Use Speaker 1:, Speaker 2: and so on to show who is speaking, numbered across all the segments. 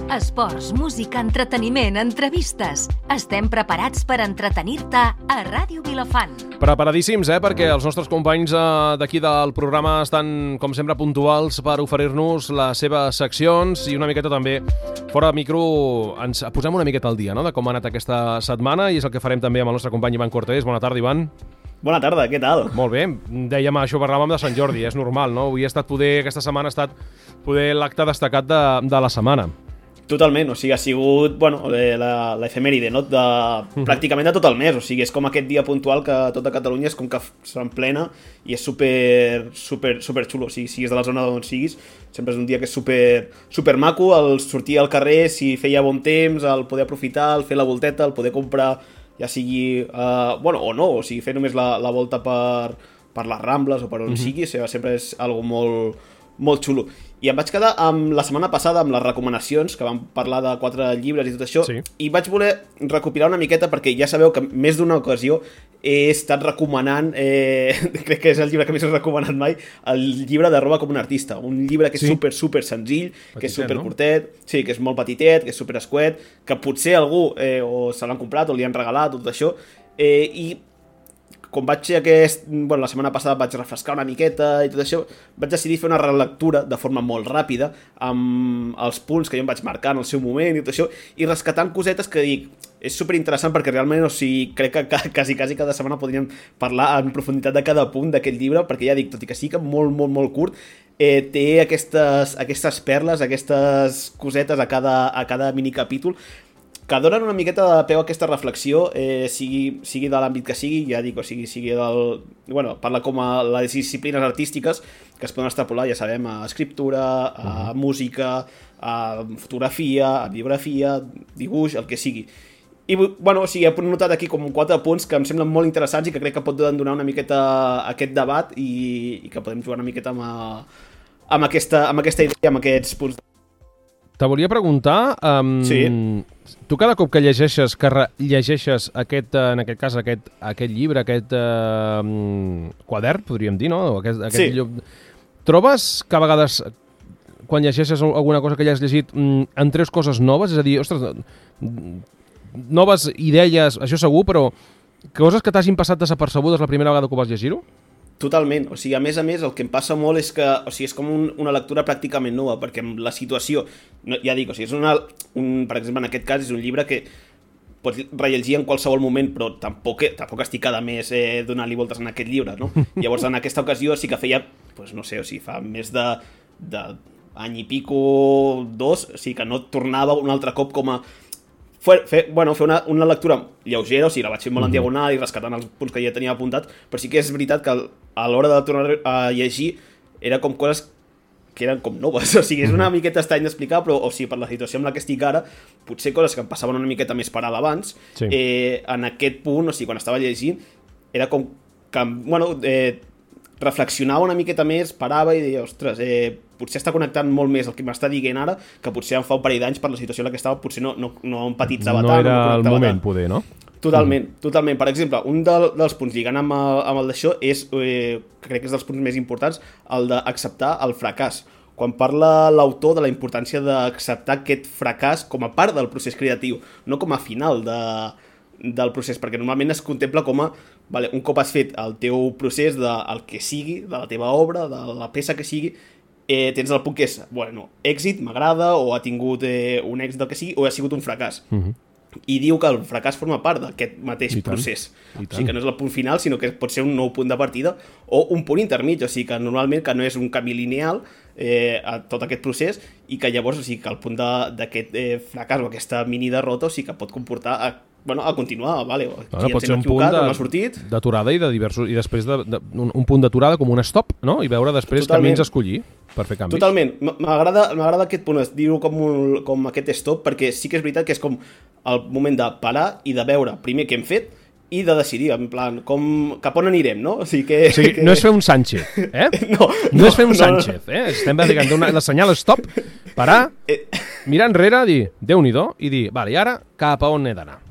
Speaker 1: Esports, música, entreteniment, entrevistes. Estem preparats per entretenir-te a Ràdio Vilafant.
Speaker 2: Preparadíssims, perquè els nostres companys d'aquí del programa estan, com sempre, puntuals per oferir-nos les seves seccions i una miqueta també, fora de micro, ens posem una miqueta al dia, no?, de com ha anat aquesta setmana, i és el que farem també amb el nostre company Ivan Cortés. Bona tarda, Ivan.
Speaker 3: Bona tarda, què tal?
Speaker 2: Molt bé, dèiem això, parlàvem de Sant Jordi, és normal, no? Avui ha estat aquesta setmana ha estat l'acte destacat de la setmana.
Speaker 3: Totalment, o sigui, ha sigut, l'efemèride, no?, pràcticament de tot el mes, o sigui, és com aquest dia puntual que tota Catalunya és com que s'emplena i és super xulo, o sigui, siguis de la zona d'on siguis, sempre és un dia que és super maco, el sortir al carrer, si feia bon temps, el poder aprofitar, el fer la volteta, el poder comprar, ja sigui, o no, o sigui, fer només la volta per les Rambles o per on sigui, sempre és algo molt xulo. I em vaig quedar la setmana passada amb les recomanacions, que vam parlar de 4 llibres i tot això, sí. I vaig voler recopilar una miqueta, perquè ja sabeu que més d'una ocasió he estat recomanant, crec que és el llibre que més he recomanat mai, el llibre de Roba com un artista, un llibre que és super senzill, petitet, que és super curtet, sí, que és molt petitet, que és super escuet, que potser algú o se l'han comprat o li han regalat, tot això, i com vaig la setmana passada vaig refrescar una miqueta i tot això, vaig decidir fer una relectura de forma molt ràpida amb els punts que jo em vaig marcar en el seu moment i tot això, i rescatant cosetes que dic, és superinteressant perquè realment, o sigui, crec que quasi cada setmana podríem parlar en profunditat de cada punt d'aquest llibre, perquè ja dic, tot i que sí que molt curt, té aquestes perles, aquestes cosetes a cada minicapítol que donen una miqueta de peu a aquesta reflexió, sigui de l'àmbit que sigui, ja dic, o sigui del... parla com a les disciplines artístiques que es poden extrapolar, ja sabem, a escriptura, a música, a fotografia, a biografia, dibuix, el que sigui. I, he notat aquí com 4 punts que em semblen molt interessants i que crec que pot donar una miqueta aquest debat i que podem jugar una miqueta amb aquesta idea, amb aquests punts.
Speaker 2: Te volia preguntar, tu cada cop que llegeixes aquest, en aquest cas, aquest llibre, aquest quadern, podríem dir, no? Trobes que a vegades, quan llegeixes alguna cosa que ja has llegit, en treus coses noves? És a dir, ostres, noves idees, això segur, però coses que t'hagin passat desapercebudes la primera vegada que ho vas llegir-ho?
Speaker 3: Totalment, o sigui, a més, el que em passa molt és que, o sigui, és com una lectura pràcticament nova, perquè amb la situació, ja dic, o sigui, per exemple, en aquest cas és un llibre que pots rellegir en qualsevol moment, però tampoc estic cada mes donant-li voltes en aquest llibre, no? Llavors, en aquesta ocasió sí que feia, no sé, o sigui, fa més d'any i pico, 2, o sigui, que no tornava un altre cop com a fer una lectura lleugera, o sigui, la vaig fer molt en diagonal i rescatant els punts que ja tenia apuntats, però sí que és veritat que a l'hora de tornar a llegir era com coses que eren com noves, o sigui, és una miqueta estrany d'explicar, però, o sigui, per la situació amb la que estic ara, potser coses que em passaven una miqueta més per alt abans, en aquest punt, o sigui, quan estava llegint, era com que, reflexionava una miqueta més, parava i deia, ostres, potser està connectant molt més el que m'està dient ara, que potser em fa un parell d'anys per la situació en la que estava, potser no empatitzava tant.
Speaker 2: No era el moment, poder, no?
Speaker 3: Totalment. Per exemple, un dels punts lligant amb el d'això és, crec que és dels punts més importants, el d'acceptar el fracàs. Quan parla l'autor de la importància d'acceptar aquest fracàs com a part del procés creatiu, no com a final del procés, perquè normalment es contempla com a un cop has fet el teu procés del que sigui, de la teva obra, de la peça que sigui, tens el punt que és, èxit, m'agrada, o ha tingut un èxit del que sigui, o ha sigut un fracàs. I diu que el fracàs forma part d'aquest mateix procés. O sigui, que no és el punt final, sinó que pot ser un nou punt de partida o un punt intermig, o sigui, que normalment que no és un camí lineal a tot aquest procés i que llavors, o sigui, que el punt d'aquest fracàs o aquesta mini derrota, o sigui, que pot comportar a continuar,
Speaker 2: pot ser un punt d'aturada i després un punt d'aturada com un stop, no? I veure després camins a escollir per fer canvis.
Speaker 3: Totalment, m'agrada aquest punt, dir-ho com aquest stop, perquè sí que és veritat que és com el moment de parar i de veure primer què hem fet i de decidir, en plan, cap on anirem, no? O sigui,
Speaker 2: no és fer un Sánchez, No és fer un Sánchez, Estem dient la senyal stop, parar, mirar enrere, dir, Déu-n'hi-do, i dir, vale, i ara cap a on he d'anar?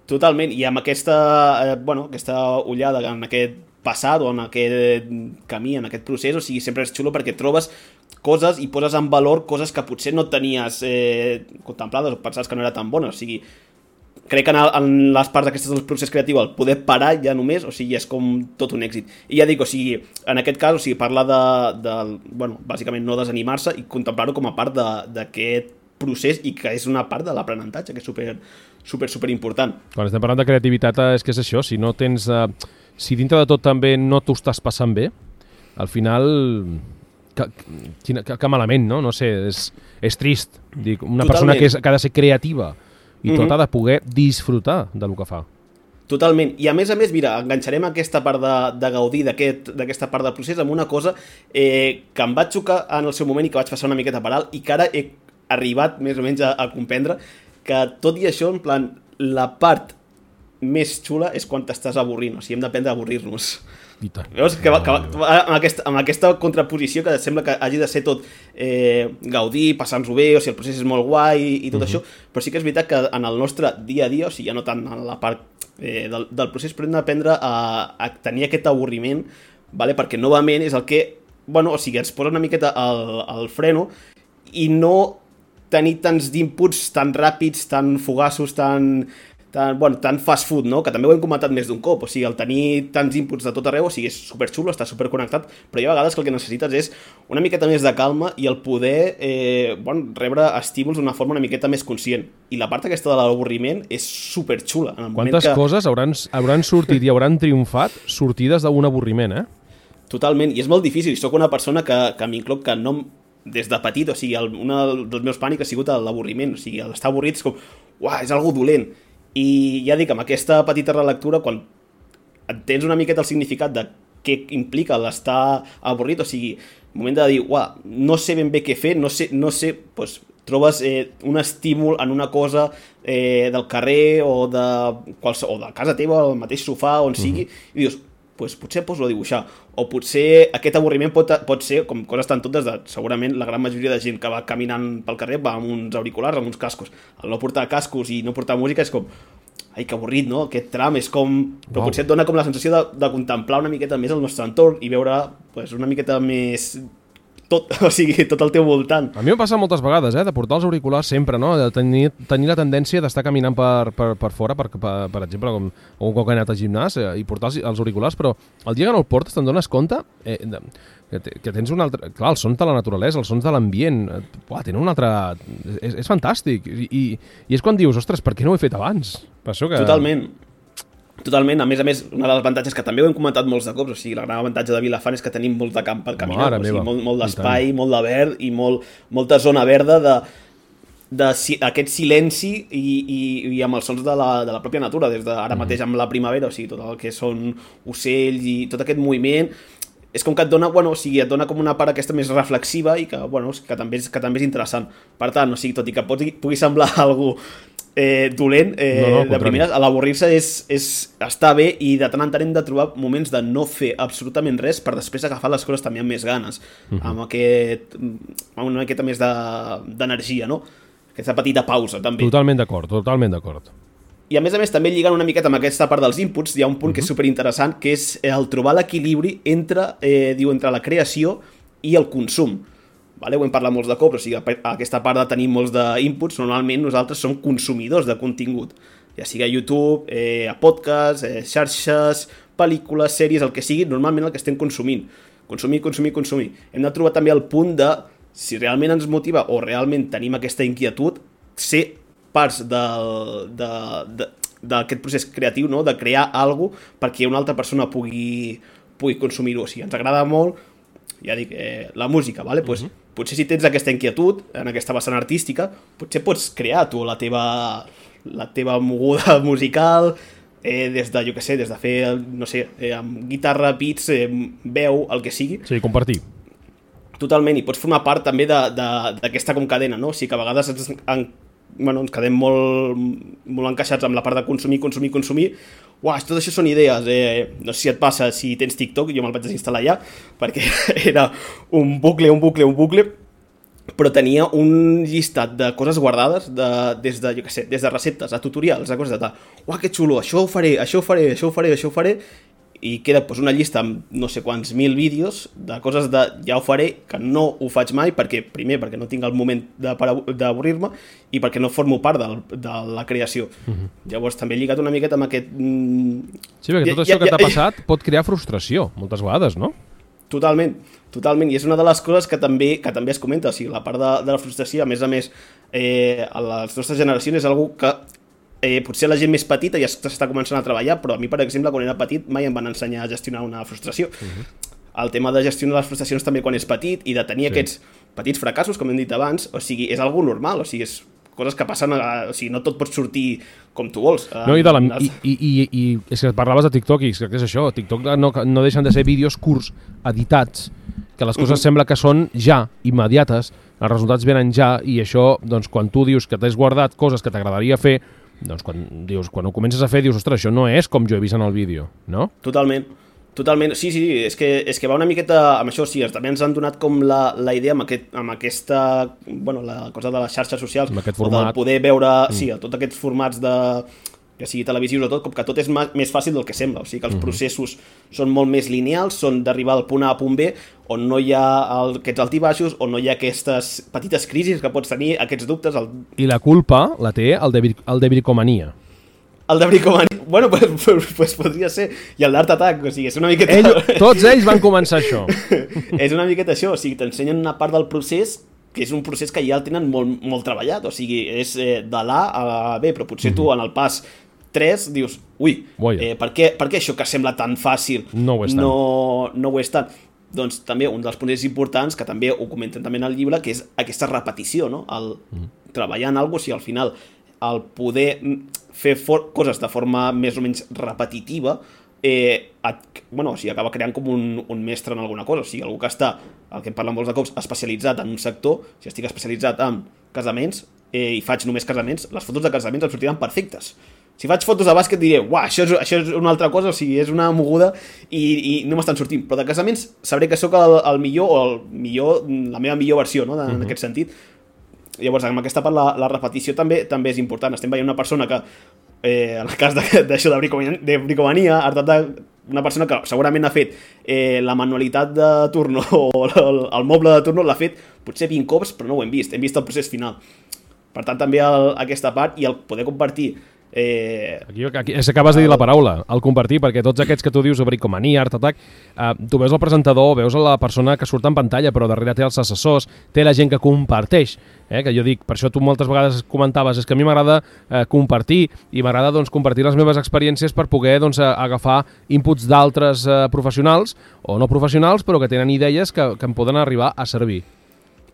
Speaker 3: Totalment, i amb aquesta ullada en aquest passat o en aquest camí, en aquest procés, o sigui, sempre és xulo perquè trobes coses i poses en valor coses que potser no tenies contemplades o pensaves que no era tan bona. O sigui, crec que en les parts aquestes del procés creatiu el poder parar ja només, o sigui, és com tot un èxit. I ja dic, o sigui, en aquest cas, o sigui, parlar bueno, bàsicament no desanimar-se i contemplar-ho com a part d'aquest procés i que és una part de l'aprenentatge, que és super important.
Speaker 2: Quan estem parlant de creativitat és que és això, si no tens... si dintre de tot també no t'ho estàs passant bé, al final... Que malament, no? No sé, és trist. Dic, una persona que ha de ser creativa i tot ha de poder disfrutar del que fa.
Speaker 3: Totalment. I a més, mira, enganxarem aquesta part de gaudir d'aquesta part del procés amb una cosa que em va xocar en el seu moment i que vaig passar una miqueta per alt i que ara he arribat més o menys a comprendre que tot i això, en plan, la part més xula és quan t'estàs avorrint, o sigui, hem d'aprendre a avorrir-nos.
Speaker 2: I tant.
Speaker 3: Veus? Que amb aquesta contraposició que sembla que hagi de ser tot gaudir, passar-nos-ho bé, o sigui, el procés és molt guai i tot això, però sí que és veritat que en el nostre dia a dia, o sigui, ja no tant en la part del procés, però hem d'aprendre a tenir aquest avorriment, vale? Perquè novament és el que, bueno, o sigui, ens posa una miqueta al freno i no tenir tants d'inputs tan ràpids, tan fugaços, tan fast food, no? Que també ho hem comentat més d'un cop, o sigui, el tenir tants inputs de tot arreu, o sigui, és superxulo, està superconnectat, però hi ha vegades que el que necessites és una miqueta més de calma i el poder rebre estímuls d'una forma una miqueta més conscient. I la part aquesta de l'avorriment és superxula.
Speaker 2: Quantes coses hauran sortit i hauran triomfat sortides d'un avorriment,
Speaker 3: Totalment, i és molt difícil. Soc una persona que m'incloc que no... Des de petit, o sigui, un dels meus pànics ha sigut l'avorriment, o sigui, l'estar avorrit és com, uah, és algo dolent. I ja dic, amb aquesta petita relectura, quan entens una miqueta el significat de què implica l'estar avorrit, o sigui, el moment de dir, uah, no sé ben bé què fer, no sé, doncs trobes un estímul en una cosa del carrer o de casa teva, o del mateix sofà, on sigui, i dius, pues potser poso a dibuixar, o potser aquest avorriment pot ser, com coses tan totes, segurament la gran majoria de gent que va caminant pel carrer va amb uns auriculars, amb uns cascos. El no portar cascos i no portar música és com, ai, que avorrit, no? Aquest tram és com... Però potser et dona com la sensació de contemplar una miqueta més el nostre entorn i veure pues, una miqueta més... tot, o sigui, tot al teu voltant.
Speaker 2: A mi m'ha passat moltes vegades, de portar els auriculars sempre, no? De tenir la tendència d'estar caminant per fora, per exemple, com un cop he anat al gimnàs i portar els auriculars, però el dia que no el portes te'n dones compte que tens un altre... Clar, els sons de la naturalesa, els sons de l'ambient, tenen un altre... És fantàstic. I és quan dius, ostres, per què no ho he fet abans? Per això que...
Speaker 3: Totalment, a més, un dels avantatges que també ho hem comentat molts de cops, o sigui, el gran avantatge de Vilafant és que tenim molt de camp per caminar, o sigui, molt d'espai, molt de verd i molta zona verda d'aquest silenci i amb els sons de la pròpia natura, des d'ara mateix amb la primavera, o sigui, tot el que són ocells i tot aquest moviment, és com que et dona, o sigui, et dona com una part aquesta més reflexiva i que també és interessant. Per tant, o sigui, tot i que pugui semblar algú dolent, de primeres, a l'avorrir-se és estar bé i de tant en tant hem de trobar moments de no fer absolutament res per després agafar les coses també amb més ganes, amb una miqueta més d'energia, no? Aquesta petita pausa, també.
Speaker 2: Totalment d'acord.
Speaker 3: I a més també lligant una miqueta amb aquesta part dels inputs, hi ha un punt que és superinteressant, que és el trobar l'equilibri entre la creació i el consum. Vale? Ho hem parlat molts de cops, o sigui, aquesta part de tenir molts d'inputs, normalment nosaltres som consumidors de contingut, ja sigui a YouTube, a podcast, xarxes, pel·lícules, sèries, el que sigui, normalment el que estem consumint. Consumir. Hem de trobar també el punt de, si realment ens motiva o realment tenim aquesta inquietud, ser parts d'aquest procés creatiu, no? De crear alguna cosa perquè una altra persona pugui consumir-ho. O sigui, ens agrada molt, ja dic, la música, vale? Pues, potser si tens aquesta inquietud en aquesta vessant artística, potser pots crear tu la teva moguda musical des de, des de fer, no sé, amb guitarra, beats, veu, el que sigui.
Speaker 2: Sí, compartir.
Speaker 3: Totalment, i pots formar part també d'aquesta com cadena, no? O sigui que a vegades ens quedem molt encaixats amb la part de consumir. Uah, tot això són idees. No sé si et passa, si tens TikTok, jo me'l vaig desinstal·lar ja, perquè era un bucle, però tenia un llistat de coses guardades des de receptes a tutorials, a coses de tal. Uah, que xulo, això ho faré, i i queda una llista amb no sé quants mil vídeos de coses de ja ho faré, que no ho faig mai, primer perquè no tinc el moment d'avorrir-me i perquè no formo part de la creació. Llavors també he lligat una miqueta amb aquest...
Speaker 2: Sí, perquè tot això que t'ha passat pot crear frustració, moltes vegades, no?
Speaker 3: Totalment, i és una de les coses que també es comenta, o sigui, la part de la frustració, a més, a les nostres generacions és algo que potser la gent més petita ja s'està començant a treballar, però a mi, per exemple, quan era petit mai em van ensenyar a gestionar una frustració. El tema de gestionar les frustracions també quan és petit i de tenir aquests petits fracassos, com hem dit abans, o sigui, és algo normal, o sigui, és coses que passen, o sigui, no tot pot sortir com tu vols.
Speaker 2: No, i és que parlaves de TikTok i és això, TikTok no deixen de ser vídeos curts, editats, que les coses sembla que són ja, immediates, els resultats venen ja, i això, doncs, quan tu dius que t'has guardat coses que t'agradaria fer, doncs quan ho comences a fer dius, ostres, això no és com jo he vist en el vídeo, no?
Speaker 3: Totalment, sí, és que va una miqueta amb això, sí, també ens han donat com la idea amb aquesta, bueno, la cosa de les xarxes socials,
Speaker 2: amb aquest format,
Speaker 3: o de poder veure, sí, tots aquests formats de, que sigui televisius o tot, com que tot és més fàcil del que sembla, o sigui que els processos són molt més lineals, són d'arribar al punt A a punt B, on no hi ha aquests altibaixos, on no hi ha aquestes petites crisis que pots tenir, aquests dubtes.
Speaker 2: I la culpa la té el de bricomania.
Speaker 3: El de bricomania, bueno, pues podria ser, i el d'Art Attack, o sigui, és una miqueta...
Speaker 2: Tots ells van començar això.
Speaker 3: És una miqueta això, o sigui, t'ensenyen una part del procés, que és un procés que ja el tenen molt treballat, o sigui, és de l'A a la B, però potser tu en el pas 3 dius, ui, per què això que sembla tan fàcil
Speaker 2: no ho és tant?
Speaker 3: No ho és tant. Doncs també un dels punts importants, que també ho comenten també en el llibre, que és aquesta repetició, no? El treballar en alguna cosa, o sigui, al final, el poder fer coses de forma més o menys repetitiva, o sigui, acaba creant com un mestre en alguna cosa, o sigui, algú que està, el que em parlen molts de cops, especialitzat en un sector. Si estic especialitzat en casaments i faig només casaments, les fotos de casaments em sortiran perfectes. Si faig fotos de bàsquet diré, uah, això és una altra cosa, o sigui, és una moguda i no m'estan sortint, però de casaments sabré que sóc el millor, la meva millor versió, no? En aquest sentit. Llavors, amb aquesta part, la repetició també és important. Estem veient una persona que, en el cas d'això de bricomania, una persona que segurament ha fet la manualitat de turno o el moble de turno l'ha fet potser 20 cops, però no ho hem vist el procés final. Per tant, també aquesta part i el poder compartir.
Speaker 2: Aquí acabes de dir la paraula, el compartir, perquè tots aquests que tu dius, bricomania, Art Attack, tu veus el presentador, veus la persona que surt en pantalla, però darrere té els assessors, té la gent que comparteix, que jo dic, per això tu moltes vegades comentaves, és que a mi m'agrada compartir, i m'agrada doncs, compartir les meves experiències per poder doncs, agafar inputs d'altres professionals, o no professionals, però que tenen idees que em poden arribar a servir.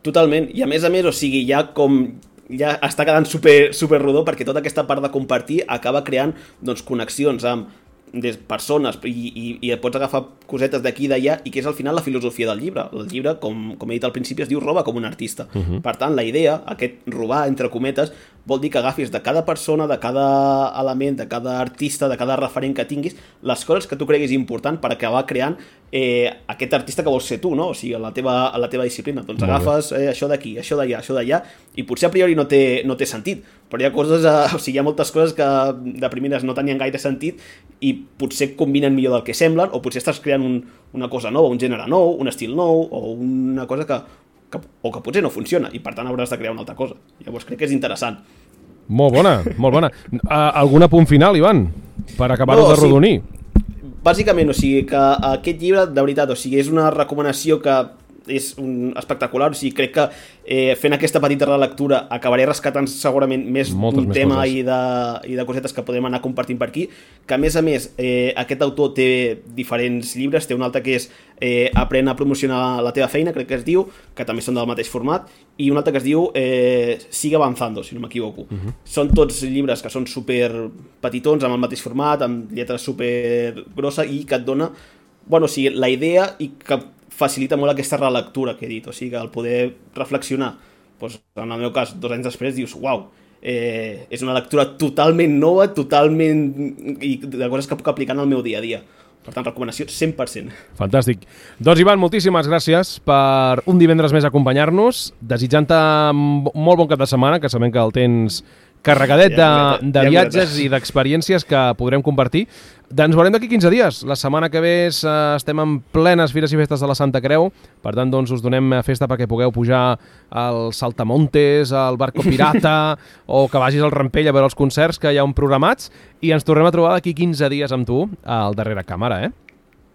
Speaker 3: Totalment, i a més, o sigui, ja està quedant super rodó, perquè tota aquesta part de compartir acaba creant doncs, connexions amb persones i et pots agafar cosetes d'aquí i d'allà, i que és al final la filosofia del llibre. El llibre, com he dit al principi, es diu Roba com un artista. Per tant, la idea, aquest robar, entre cometes, vol dir que agafis de cada persona, de cada element, de cada artista, de cada referent que tinguis, les coses que tu creguis important per acabar creant aquest artista que vols ser tu, no? O sigui, a la teva disciplina. Doncs agafes això d'aquí, això d'allà, i potser a priori no té sentit, però hi ha coses, o sigui, hi ha moltes coses que de primeres no tenien gaire sentit i potser combinen millor del que semblen, o potser estàs creant una cosa nova, un gènere nou, un estil nou, o una cosa que potser no funciona, i per tant hauràs de crear una altra cosa. Llavors crec que és interessant.
Speaker 2: Molt bona. Algun apunt final, Ivan, per acabar-ho de rodonir?
Speaker 3: Bàsicament, o sigui, que aquest llibre, de veritat, o sigui, és una recomanació que és espectacular, o sigui, crec que fent aquesta petita relectura acabaré rescatant segurament un tema i de cosetes que podem anar compartint per aquí, que a més aquest autor té diferents llibres, té un altre que és Aprèn a promocionar la teva feina, crec que es diu, que també són del mateix format, i un altre que es diu Sigue avanzando, si no m'equivoco. Són tots llibres que són super petitons, amb el mateix format, amb lletres super grossa, i que et dona, bueno, o sigui, la idea, i que facilita molt aquesta relectura que he dit, o sigui que el poder reflexionar, doncs, en el meu cas, 2 anys després, dius, uau, és una lectura totalment nova, i de coses que puc aplicar en el meu dia a dia. Per tant, recomanació 100%.
Speaker 2: Fantàstic. Doncs, Ivan, moltíssimes gràcies per un divendres més acompanyar-nos, desitjant-te molt bon cap de setmana, que sabem que el tens carregadet de viatges i d'experiències que podrem compartir. Ens veurem d'aquí 15 dies. La setmana que ve estem en plenes Fires i Festes de la Santa Creu, per tant, doncs, us donem festa perquè pugueu pujar al Saltamontes, al Barco Pirata, o que vagis al Rampell a veure els concerts que hi ha programats, i ens tornem a trobar d'aquí 15 dies amb tu al darrere càmera,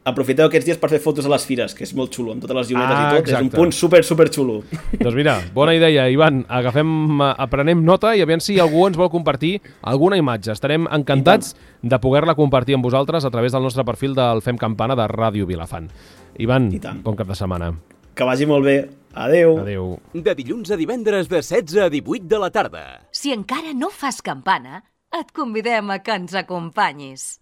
Speaker 3: Aprofiteu aquests dies per fer fotos a les fires, que és molt xulo, amb totes les llumetes i tot.
Speaker 2: Exacte.
Speaker 3: És un punt super xulo.
Speaker 2: Doncs mira, bona idea, Ivan. Aprenem nota i aviam si algú ens vol compartir alguna imatge. Estarem encantats de poder-la compartir amb vosaltres a través del nostre perfil del Fem Campana de Ràdio Vilafant. Ivan, bon cap de setmana.
Speaker 3: Que vagi molt bé. Adeu.
Speaker 2: Adeu.
Speaker 4: De dilluns a divendres de 16 a 18 de la tarda.
Speaker 1: Si encara no fas campana, et convidem a que ens acompanyis.